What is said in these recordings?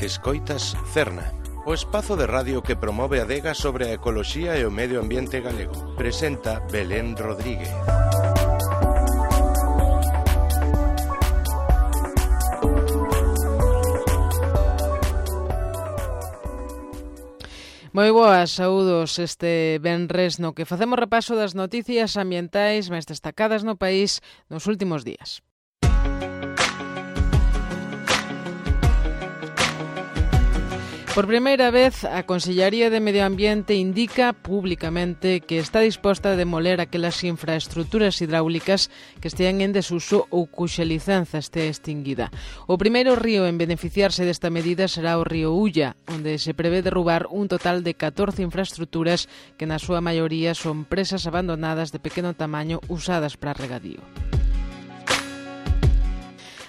Escoitas Cerna, o espazo de radio que promove a adega sobre a ecoloxía e o medio ambiente galego. Presenta Belén Rodríguez. Moi boas, saúdos este venres no que facemos repaso das noticias ambientais máis destacadas no país nos últimos días. Por primeira vez, a Consellería de Medio Ambiente indica públicamente que está disposta a demoler aquelas infraestructuras hidráulicas que estean en desuso ou cuxa licenza este extinguida. O primeiro río en beneficiarse desta medida será o río Ulla, onde se prevé derrubar un total de 14 infraestructuras que na súa maioría son presas abandonadas de pequeno tamaño usadas para regadío.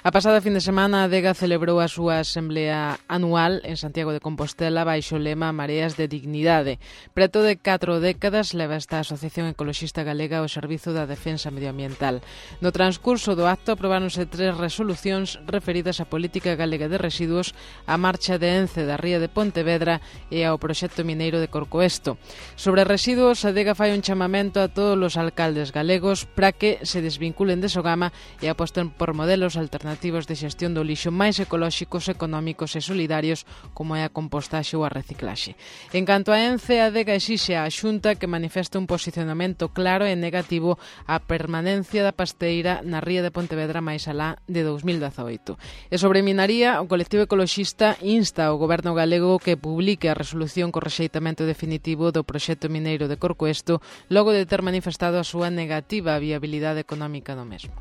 A pasada fin de semana, a adega celebrou a súa asemblea anual en Santiago de Compostela baixo o lema Mareas de Dignidade. Preto de 4 décadas leva esta Asociación Ecoloxista Galega ao servizo da defensa medioambiental. No transcurso do acto aprobáronse 3 resolucións referidas á política galega de residuos, á marcha de Ence da ría de Pontevedra e ao proxecto mineiro de Corcoesto. Sobre residuos, a adega fai un chamamento a todos os alcaldes galegos para que se desvinculen de Sogama e aposten por modelos alternativos de xestión do lixo máis ecolóxicos, económicos e solidarios como é a compostaxe ou a reciclaxe. En canto a Ence, a adega exixe á Xunta que manifeste un posicionamento claro e negativo á permanencia da pasteira na ría de Pontevedra máis alá de 2018. E sobre minaría, o colectivo ecoloxista insta ao goberno galego que publique a resolución co rexeitamento definitivo do proxecto mineiro de Corcoesto logo de ter manifestado a súa negativa á viabilidade económica do mesmo.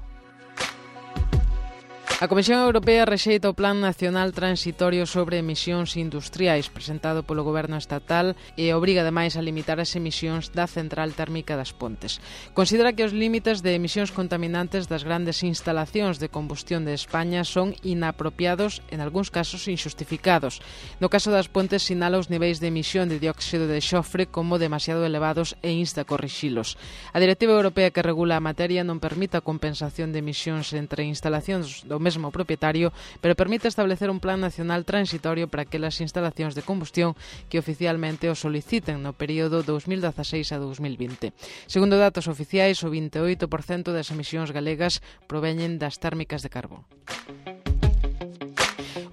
A Comisión Europea rexeita o Plan Nacional Transitorio sobre Emisións Industriais presentado polo Goberno estatal e obriga ademais a limitar as emisións da central térmica das Pontes. Considera que os límites de emisións contaminantes das grandes instalacións de combustión de España son inapropiados, en algúns casos injustificados. No caso das Pontes sinala os niveis de emisión de dióxido de xofre como demasiado elevados e insta a corrixilos. A Directiva Europea que regula a materia non permite a compensación de emisións entre instalacións do mesmo propietario, pero permite establecer un plan nacional transitorio para aquelas instalacións de combustión que oficialmente o soliciten no período 2016 a 2020. Segundo datos oficiais, o 28% das emisións galegas proveñen das térmicas de carbón.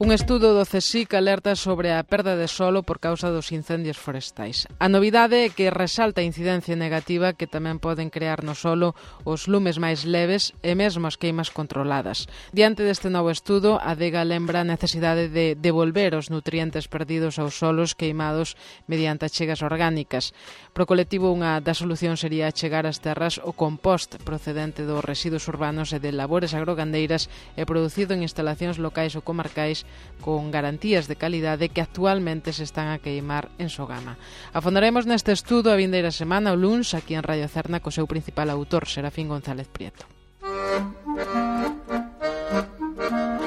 Un estudo do CSIC alerta sobre a perda de solo por causa dos incendios forestais. A novidade é que resalta a incidencia negativa que tamén poden crear no solo os lumes máis leves e mesmo as queimas controladas. Diante deste novo estudo, a adega lembra a necesidade de devolver os nutrientes perdidos aos solos queimados mediante achegas orgánicas. Pro colectivo, unha das solucións sería achegar ás terras o compost procedente dos residuos urbanos e de labores agrogandeiras e producido en instalacións locais ou comarcais con garantías de calidade que actualmente se están a queimar en Sogama. Afondaremos neste estudo a vindeira semana o luns aquí en Radio Cerna co seu principal autor, Serafín González Prieto.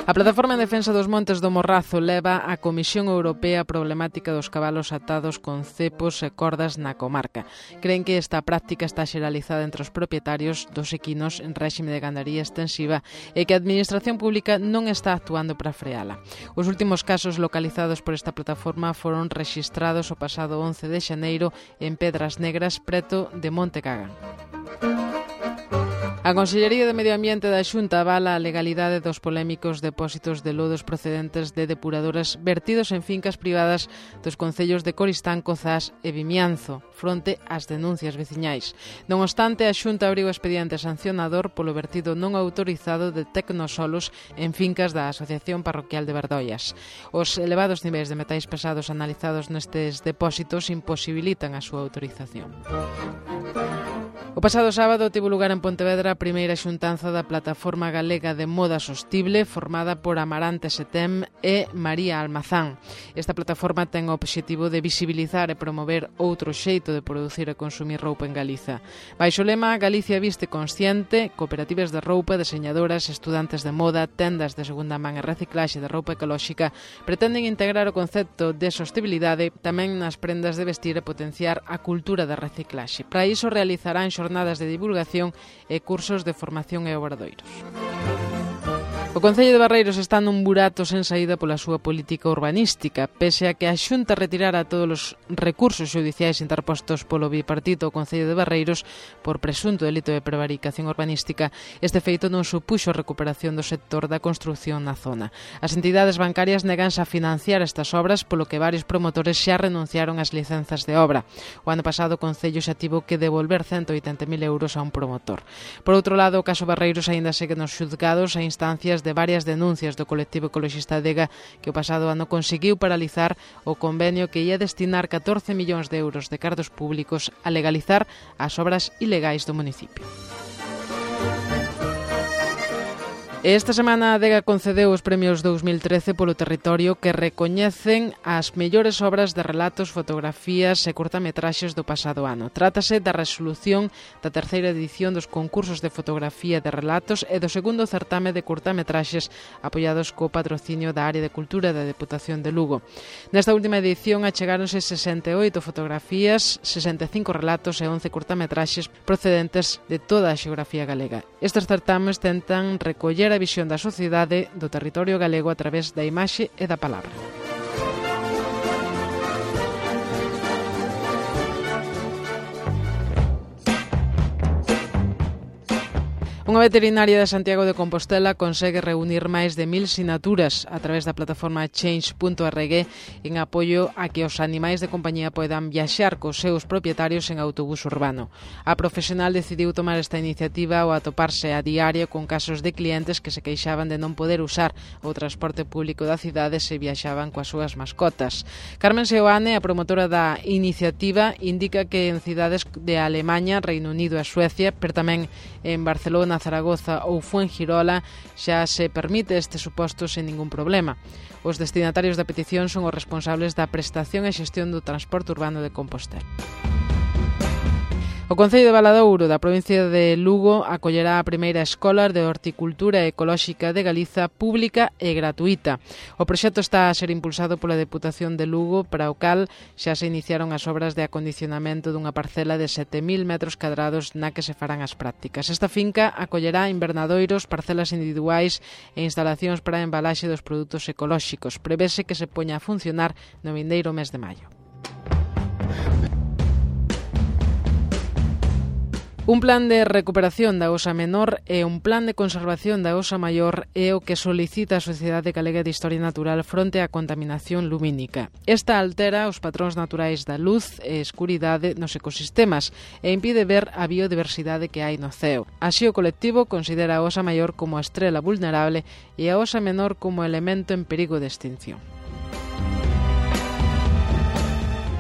A Plataforma en Defensa dos Montes do Morrazo leva á Comisión Europea a problemática dos cabalos atados con cepos e cordas na comarca. Creen que esta práctica está xeralizada entre os propietarios dos equinos en réxime de gandaría extensiva e que a Administración Pública non está actuando para freala. Os últimos casos localizados por esta plataforma foron rexistrados o pasado 11 de xaneiro en Pedras Negras, preto de Monte Cagán. A Consellería de Medio Ambiente da Xunta avala a legalidade dos polémicos depósitos de lodos procedentes de depuradoras vertidos en fincas privadas dos concellos de Coristán, Cozás e Vimianzo, fronte ás denuncias veciñais. Non obstante, a Xunta abriu expediente sancionador polo vertido non autorizado de tecnosolos en fincas da Asociación Parroquial de Verdoias. Os elevados niveis de metais pesados analizados nestes depósitos imposibilitan a súa autorización. O pasado sábado tivo lugar en Pontevedra a primeira xuntanza da Plataforma Galega de Moda Sostible formada por Amarante Setem e María Almazán. Esta plataforma ten o obxectivo de visibilizar e promover outro xeito de producir e consumir roupa en Galiza. Baixo o lema Galicia viste consciente, cooperativas de roupa, deseñadoras, estudantes de moda, tendas de segunda man e reciclaxe de roupa ecolóxica pretenden integrar o concepto de sostibilidade tamén nas prendas de vestir e potenciar a cultura da reciclaxe. Para iso realizarán xornadas de divulgación e cursos de formación e obradoiros. O Concello de Barreiros está nun burato sen saída pola súa política urbanística, pese a que a Xunta retirara todos os recursos xudiciais interpostos polo bipartito ao Concello de Barreiros por presunto delito de prevaricación urbanística. Este feito non supuxo a recuperación do sector da construción na zona. As entidades bancarias neganse a financiar estas obras, polo que varios promotores xa renunciaron ás licenzas de obra. O ano pasado o Concello xa tivo que devolver 180.000 euros a un promotor. Por outro lado, o caso Barreiros aínda segue nos xuzgados a instancias de varias denuncias do colectivo ecoloxista Adega, que o pasado ano conseguiu paralizar o convenio que ia destinar 14 millóns de euros de cartos públicos a legalizar as obras ilegais do municipio. Esta semana a Adega concedeu os premios 2013 polo territorio que recoñecen as mellores obras de relatos, fotografías e curtametraxes do pasado ano. Trátase da resolución da terceira edición dos concursos de fotografía de relatos e do segundo certame de curtametraxes apoiados co patrocinio da Área de Cultura da Deputación de Lugo. Nesta última edición achegáronse 68 fotografías, 65 relatos e 11 curtametraxes procedentes de toda a xeografía galega. Estes certames tentan recoller a visión da sociedade do territorio galego a través da imaxe e da palabra. Unha veterinaria de Santiago de Compostela consegue reunir máis de 1.000 sinaturas a través da plataforma change.org en apoio a que os animais de compañía poidan viaxar cos seus propietarios en autobús urbano. A profesional decidiu tomar esta iniciativa ao atoparse a diario con casos de clientes que se queixaban de non poder usar o transporte público da cidade se viaxaban coas súas mascotas. Carmen Seoane, a promotora da iniciativa, indica que en cidades de Alemaña, Reino Unido e Suecia, pero tamén en Barcelona, Zaragoza ou Fuengirola xa se permite este suposto sen ningún problema. Os destinatarios da petición son os responsables da prestación e xestión do transporte urbano de Compostela. O Concello de Valadouro da provincia de Lugo acollerá a primeira escola de horticultura ecolóxica de Galiza pública e gratuita. O proxecto está a ser impulsado pola Deputación de Lugo, para o cal xa se iniciaron as obras de acondicionamento dunha parcela de 7.000 metros cadrados na que se farán as prácticas. Esta finca acollerá invernadoiros, parcelas individuais e instalacións para a embalaxe dos produtos ecolóxicos. Prevese que se poña a funcionar no vindeiro mes de maio. Un plan de recuperación da Osa Menor e un plan de conservación da Osa Maior é o que solicita a Sociedade Galega de Historia Natural fronte á contaminación lumínica. Esta altera os patróns naturais da luz e escuridade nos ecosistemas e impide ver a biodiversidade que hai no ceo. Así, o colectivo considera a Osa Maior como a estrela vulnerable e a Osa Menor como elemento en perigo de extinción.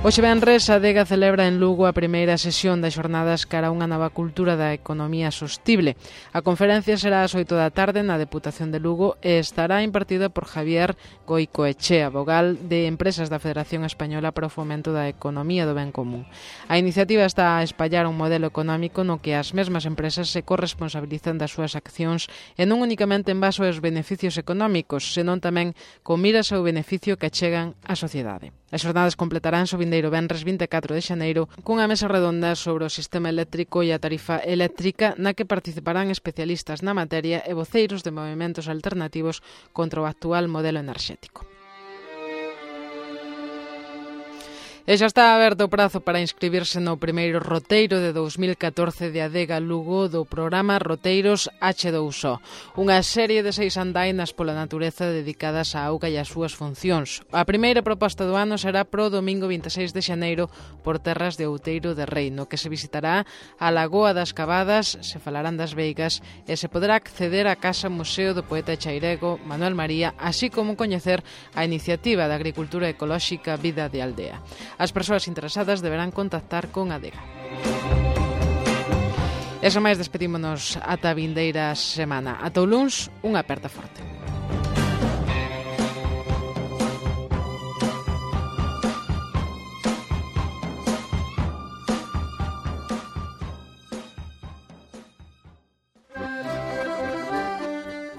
Hoxe venres, a Adega celebra en Lugo a primeira sesión das xornadas cara a unha nova cultura da economía sostible. A conferencia será ás 8 da tarde na Deputación de Lugo e estará impartida por Javier Goicoechea, vogal de Empresas da Federación Española para o Fomento da Economía do Ben Común. A iniciativa está a espallar un modelo económico no que as mesmas empresas se corresponsabilizan das súas accións e non únicamente en base aos beneficios económicos, senón tamén con miras ao beneficio que achegan á sociedade. As xornadas completarán o vindeiro venres 24 de xaneiro cunha mesa redonda sobre o sistema eléctrico e a tarifa eléctrica na que participarán especialistas na materia e voceiros de movementos alternativos contra o actual modelo enerxético. E xa está aberto o prazo para inscribirse no primeiro roteiro de 2014 de Adega Lugo do programa Roteiros H2O, unha serie de 6 andainas pola natureza dedicadas á auga e ás súas funcións. A primeira proposta do ano será pro domingo 26 de xaneiro por terras de Outeiro de Rei, no que se visitará a Lagoa das Cavadas, se falarán das veigas e se poderá acceder á Casa Museo do poeta chairego Manuel María, así como coñecer a iniciativa de agricultura ecolóxica Vida de Aldea. As persoas interesadas deberán contactar con Adega. Eso máis, despedímonos ata a vindeira semana. Ata o luns, unha aperta forte.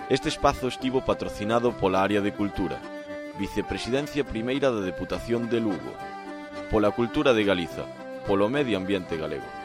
Este espazo estivo patrocinado pola Área de Cultura, Vicepresidencia Primeira da Deputación de Lugo, pola Cultura de Galiza, polo Medio Ambiente Galego.